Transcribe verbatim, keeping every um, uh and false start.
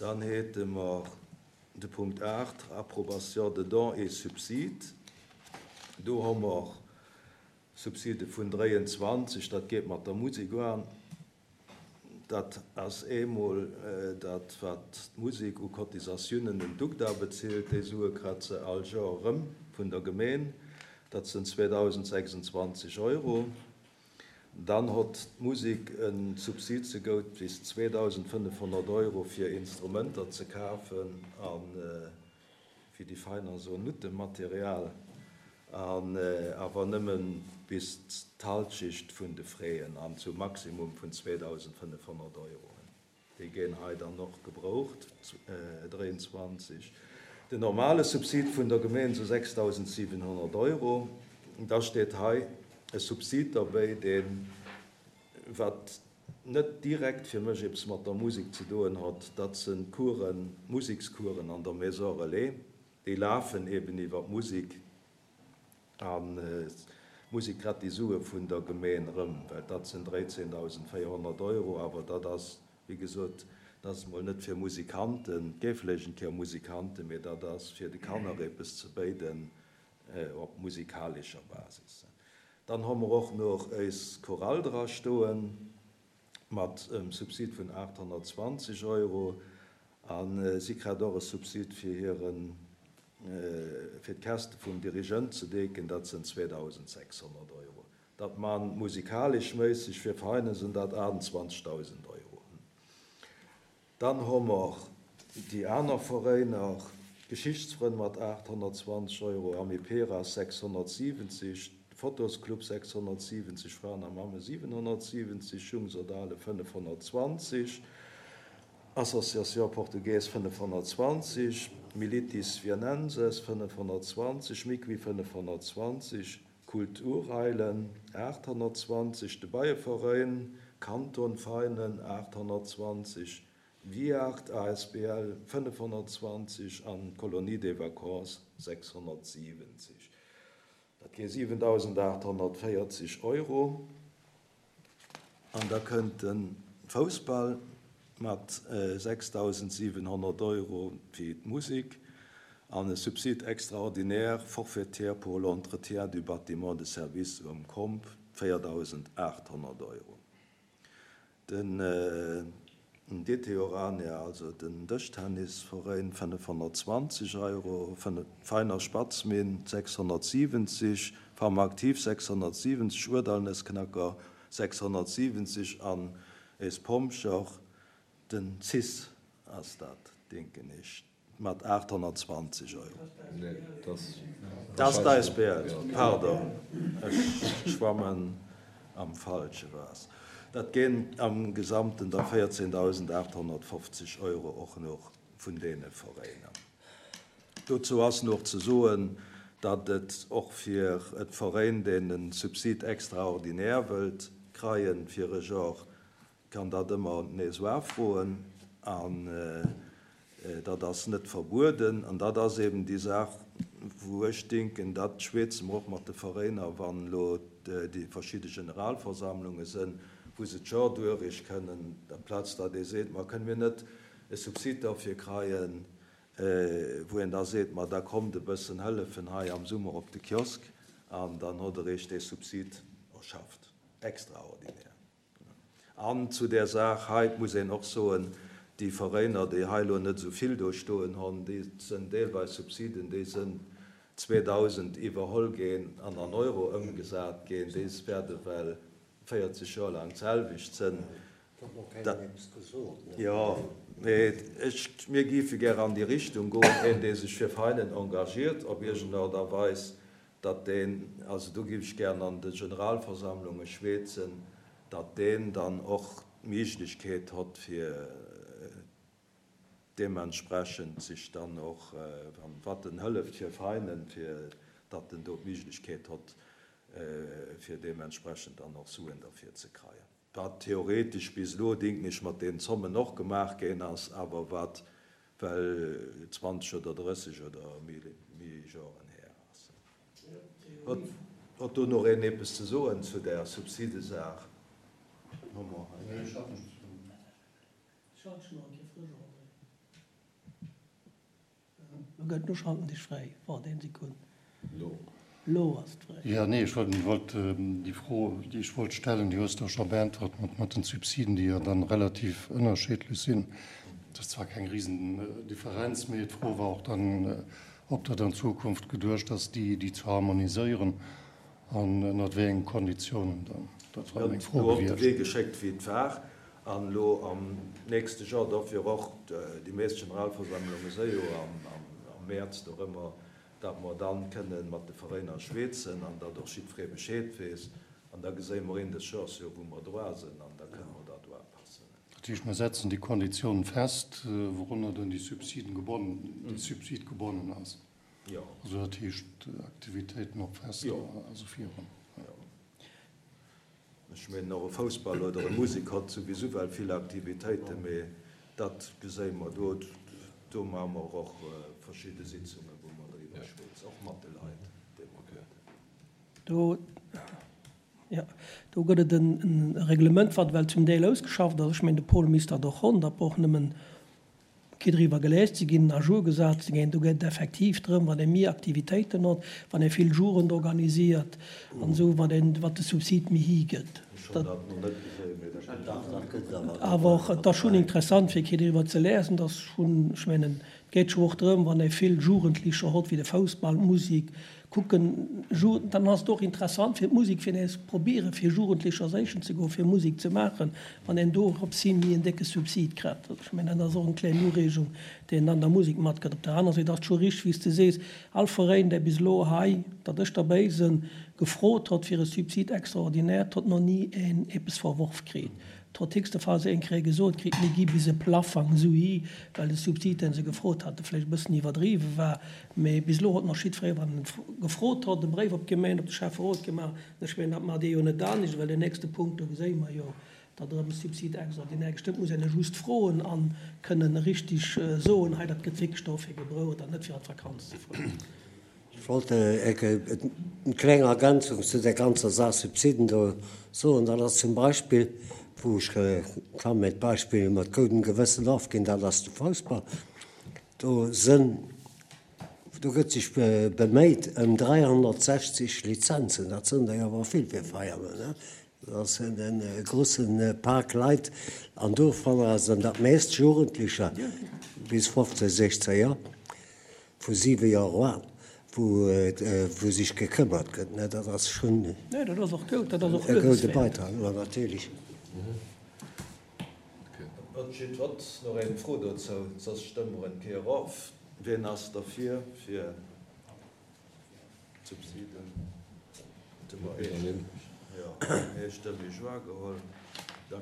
Dann hätte mer de Punkt aacht, Approbation de dons et subsides. Do hu mer Subside vun dräianzwanzeg, dat geet mat der Musek an. Dat ass eemol dat, wat d'Musek u Cotisatiounen un d'UGDA bezilt. Déi Sue kritt se all Joer erëm vun der Gemeen. Dat sinn zweedausendsechsundzwanzeg Euro. Dann hott d'Musek e Subsid zegout bis zweedausendfënnefhonnert Euro fir Instrumenter ze kafen a fir déi Veräiner esou Noutematerial, an awer nëmme bis d'Halschicht vun de Fräen an zum Maximum vun zweedausendfënnefhonnert Euro. Déi ginn hei dann och gebraucht, dräiandzwanzeg. Den normale Subsid vun der Gemeen sou sechsdausendsiwenhonnert Euro. Da steet hei e Subsid derbäi, deen, wat net direkt fir mech eppes mat der Musek ze doen hott, dat sinn Coursen, Musekscoursen an der Maison Relais, déi lafen eben iwwer d'Musek, an d'Musek kritt déi Sue vun der Gemeen erëm, well dat sinn dräizehntausendvéierhonnert Euro, awer dat ass, wéi gesot, dat ass mol net fir Musikanten, et géif vläicht eng Kéier Musikanten, mee dat ass fir de Kanner eppes ze béiden op musikalescher Basis. Dann hu mer och nach eis Chorale dra stoen mat em Subsid vun aathonnertzwanzeg Euro, a si kritt och e Subsid fir hiren, fir d'Käschte vum Dirigent ze decken, dat sinn zweedausendsechshonnert Euro. Dat man musikalesch méisseg fir Veräiner sinn dat achtundzwanzigtausend Euro. Dann hu mer déi aner Veräiner, Geschichtsfrënn mat aathonnertzwanzeg Euro, Amiperas sechshonnertsiwwenzeg, Fotosclub sechshonnertsiwwenzeg, Fraen a Mamme siewenhonnertsiwwenzeg, Jungsodale fënnefhonnertzwanzeg, Association Portugaise fënnefhonnertzwanzeg, Militis Viennenses fënnefhonnertzwanzeg, Miqui fënnefhonnertzwanzeg, Kulturheilen aathonnertzwanzeg, de Beieverein Kanton Veinen aathonnertzwanzeg, Viart A S B L fënnefhonnertzwanzeg an Colonie des Vacances sechshonnertsiwwenzeg. Dat geet siwentausendachthonnertvéierzeg Euro. An da kënnt de Foussball mat sechstausendsiewenhonnert Euro fir d'Musek an e Subside extraordinaire forfaitaire pour l'entretien du bâtiment de service um Komp véiertausendachthonnert Euro. Den D T Orania, also den Dëschtennisverein, fënnefhonnertzwanzeg Euro, Veiner Spatzminn sechshonnertsiwwenzeg, Pharmaaktiv sechshonnertsiwwenzeg, Urdallnëssknacker sechshonnertsiwwenzeg an es Pompcher, den C I S ass dat, denken ech, mat achthonnertzwanzeg Euro. Nee, das Das ist d'A S B L, pardon, ech schwammen am falsche Waasser. Dat ginn am Gesamten da véierzehntausendachthonnertfofzeg Euro och noch vun deene Veräiner. Dazu ass noch ze soen, datt et och fir et Veräin, deen en Subsid extraordinaire wëllt kreien fir e Joer, kann dat ëmmer nees afroen, an dat ass net verbueden. An dat ass eben déi Saach, wou ech denken, dat schwätze mer och mat de Veräiner, wann lo déi verschidde Generalversammlungen sinn, wou se d'Joer duerich kënnen, amplaz datt ee seet, ma kënnen mir net e Subsid dafür kreien, wou een da seet, ma da kommt e bëssen hëllefen hei am Summer op de Kiosk, an dann huet er eech dee Subsid erschafft. Extraordinär. An zu der Saach hei muss een och soen, déi Veräiner, déi hei lo net so vill do stoen hunn, déi sinn deelweis Subsiden, déi sinn zweitausend iwwerholl ginn an an Euro ëmgesat ginn, déi werde well véierzeg Joer lang d'selwecht sinn. Dat hat noch keiner eppes gesot, ne? Ja, mee ech, mir géife gär an déi Richtung goen, een, dee sech fir Veräinen engagiert, op irgendeine Art a Weis, datt deen, also do géif ech gern an de Generalversammlunge schwätzen, datt deen dann och d'Méiglechkeet hott, fir deementsprechend sich dann och, wann wat den hëlleft fir Veräinen, fir datt den do d'Méiglechkeet hott, fir deementsprechend dann och Suen dafür ze kreien. Wat theoretisch bis elo ding nicht mat den Zommen noch gemacht ginn ass, awer wat well zwanzeg oder drësseg oder méi, méi Joren her ass. Hat, hat do noch een eppes ze soen zu der Subsidesaach? Nee, ich hab nichts zu sagen. gëtt. Lo schalten dech fräi. Waart eng Sekunn. Lo. Lo ass et fräi. Ja, nee, ech wollt, wollt déi Fro, déi ech wollt stellen, déi hues de scho beäntwert mat, mat den Subsiden, déi jo dann relativ ënnerschiddlech sinn. Dat ass zwar keng Risendifferenz, mee d'Fro war och dann, ob dat an Zukunft geduecht ass, déi, déi ze harmoniséieren an ënnert wéi engen Konditiounen dann. Dat war meng Fro Lo op de gewiescht. Wee geschéckt, wéi et war. An elo am nächste Joer dofir och déi meescht Generalversammlunge si jo am, am, am Mäerz dorëmmer, datt mer dann kënnen mat de Veräiner schwätzen an datt och jiddweree Bescheed weess. An da geséie mer een des Joers jo, wou mer droa sinn, an da kënne mer dat upassen. Dat heescht, mer setzen déi Konditiounen fest, wourunner dann déi Subsiden gebonnen, de Subsid gebonnen ass. Jo. Also dat heescht Aktivitéiten op Fester Jo. a sou virun. Jo. Ech mengen och e Foussball oder e Musek hat souwisou well vill Aktivitéiten, mee dat geséie mer do, do maache mer och verschidde Sitzungen, wou mer driwwer schwätzen, och mat de Leit, déi mer kennen. Do, ja, do gëtt et en, en Reglement, wat well zum Deel ausgeschafft ass. Ech mengen, de Paul misst dat och hunn, dat brauch nëmmen kee driwwer geléist ze ginn, à jour gesat ze ginn. Do geet et effektiv drëm, wann ee méi Aktivitéiten huet, wann ee vill Jugend organisiert an esou, wat een, wat de Subsid méi higëtt. Ech hunn dat nach net gesinn, mee dat gëtt Dach, dat gëtt awer. Awer och, et ass schonn interessant, fir kee driwwer ze liesen, dass schonn, ech mengen, et geet scho och drëm, wann ee vill Jugendlecher huet, wéi de Foussball, d'Musek, kucken, Ju-, dann ass et och interessant fir d'Musek, fir nees probieren, fir Jugendlecher séichen ze goen, fir Musek ze maachen, wann een do op si méi en décke Subsid kritt. Ech mengen, dat ass och eng kleng Ureegung, déi een an der Musek matkritt. Op der aner Säit ass et scho richteg, wéi s de sees, all Veräin, dee bis elo hei, datt ech derbäi sinn, gefrot huet fir e Subsid extraordinaire, huet nach ni een eppes verworf kritt. Huet héchste Phase eng Kéier gesot kritt, mir gi bis e Plafang esou hi, well de Subsid, deen se gefrot haten, vläicht e bëssen iwwerdriwwe war. Mee bis elo huet nach jiddweree, wann en gefrot huet, e Bréif op d'Gemeng, op de Schäfferot gemaach. Ech mengen, dat maacht Dir jo net anescht, well den nächste Punkt, do geséie mer jo, datt erëm e Subsid extraordinaire gestëmmt muss. Een just froen an kënnen richteg soen, hei, dat gëtt wierklech dofir gebraucht an net fir an d'Vakanz ze fueren. Ech wollt eng kleng Ergänzung zu der ganzer Saach Subsiden do soen. Dat ass zum Beispill, wou ech kann mat Beispill mat gutem Gewëssen ofginn, dat ass de Foussball. Do sinn, do gëtt sech beméit ëm dräihonnertsechzeg Lizenzen. Dat sinn der awer vill fir Feieren, ne? Dat sinn en grousse Pak Leit an dovunner sinn dat meescht Jugendlecher bis fofzéng, sechzéng Joer, vu siwe Joer an, wou, wou sech gekëmmert gëtt, ne? Dat ass schonn Nee, dat ass och gutt, dat ass och e gudde luewenswäert. Beitrag, ja, natierlech. Huet jiddwer nach eng Fro dozou? Soss stëmme mer eng Kéier of. Wien ass derfir fir d'Subsiden? Jo, eestëmmeg wahrgeholl.